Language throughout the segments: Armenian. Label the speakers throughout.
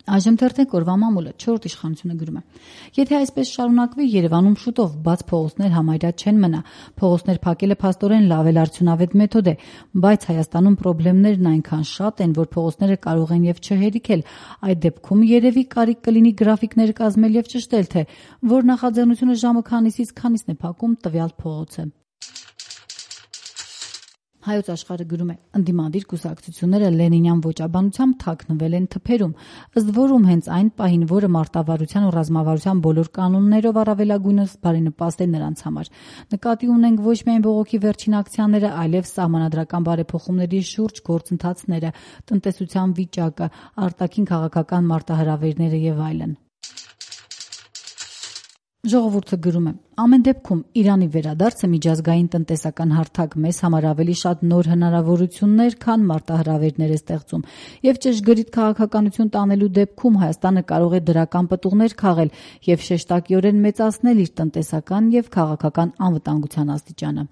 Speaker 1: Այժմ թերթենք օրվա մամուլը 4 իշխանությունը գրում է. Եթե այսպես շարունակվի, Երևանում շուտով բաց փողոցներ համարյա չեն մնա։ Փողոցներ փակելը փաստորեն լավ էլ արդյունավետ մեթոդ է, բայց Հայաստանում խնդիրներն այնքան շատ են, որ փողոցները կարող են եւ չհերիքել։ Այդ դեպքում երևի կարիք կլինի գրաֆիկներ կազմել եւ ճշտել, թե որ նախաձեռնությունը ժամը քանիսից քանիսն է փակում տվյալ փողոցը։ Հայոց աշխարհը գրում է. ընդդիմադիր կուսակցությունները լենինյան ոճաբանությամբ թաքնվել են թփերում, ըստ որում հենց այն պահին, որը մարտավարության ու ռազմավարության բոլոր կանոններով առավելագույնս բարենպաստ է նրանց համար։ Նկատի ունենք ոչ միայն բողոքի վերջին ակցիաները, այլև սահմանադրական բարեփոխումների շուրջ գործընթացները, տնտեսության վիճակը, արտաքին քաղաքական մարտահրավերները եւ այլն։ Ժողովուրդը գրում է. ամեն դեպքում Իրանի վերադարձը միջազգային տնտեսական հարթակ մեզ համար ավելի շատ նոր հնարավորություններ, քան մարտահրավերներ է ստեղծում, եւ ճշգրիտ քաղաքականություն տանելու դեպքում Հայաստանը կարող է դրական պտուղներ քաղել եւ շեշտակիորեն մեծացնել իր տնտեսական եւ քաղաքական անվտանգության աստիճանը։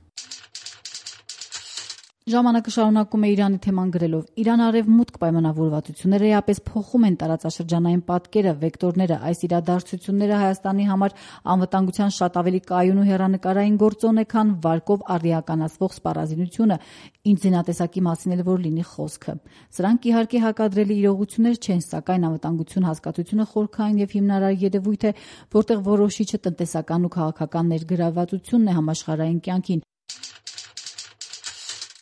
Speaker 1: Ժամանակը շարունակում է Իրանի թեման գրելով. Իրան-արևմուտք պայմանավորվածությունները էապես փոխում են տարածաշրջանային պատկերը, վեկտորները, այս իրադարձությունները Հայաստանի համար անվտանգության շատ ավելի կայուն ու հեռանկարային գործոն է, քան վարկով առիականացվող սպառազինությունը, ինչ զինատեսակի մասին էլ որ լինի խոսքը։ Սրանք իհարկե հակադրելի իրողություններ չեն, սակայն անվտանգություն հասկացությունը խորքային եւ հիմնարար երևույթ է, որտեղ որոշիչը տնտեսական ու քաղաքական ներգրավվածությունն է համաշխարհային կյանքին։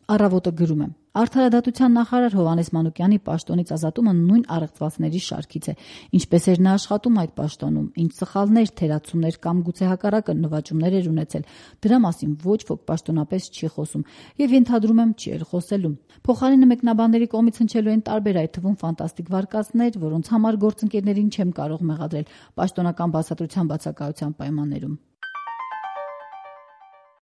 Speaker 1: Առավոտը գրում է. Արդարադատության նախարար Հովհաննես Մանուկյանի պաշտոնից ազատումը նույն առեղծվածների շարքից է։ Ինչպես էր նա աշխատում այդ պաշտոնում, ինչ սխալներ, թերացումներ կամ գուցե հակառակը նվաճումներ էր ունեցել, դրա մասին ոչ ոք պաշտոնապես չի խոսում եւ ենթադրում եմ չի էլ խոսելու։ Փոխարենը մեկնաբանների կողմից հնչելու են տարբեր, այդ թվում ֆանտաստիկ վարկածներ, որոնց համար գործընկերներին չեմ կարող մեղադրել պաշտոնական բացատրության բացակայության պայմաններում։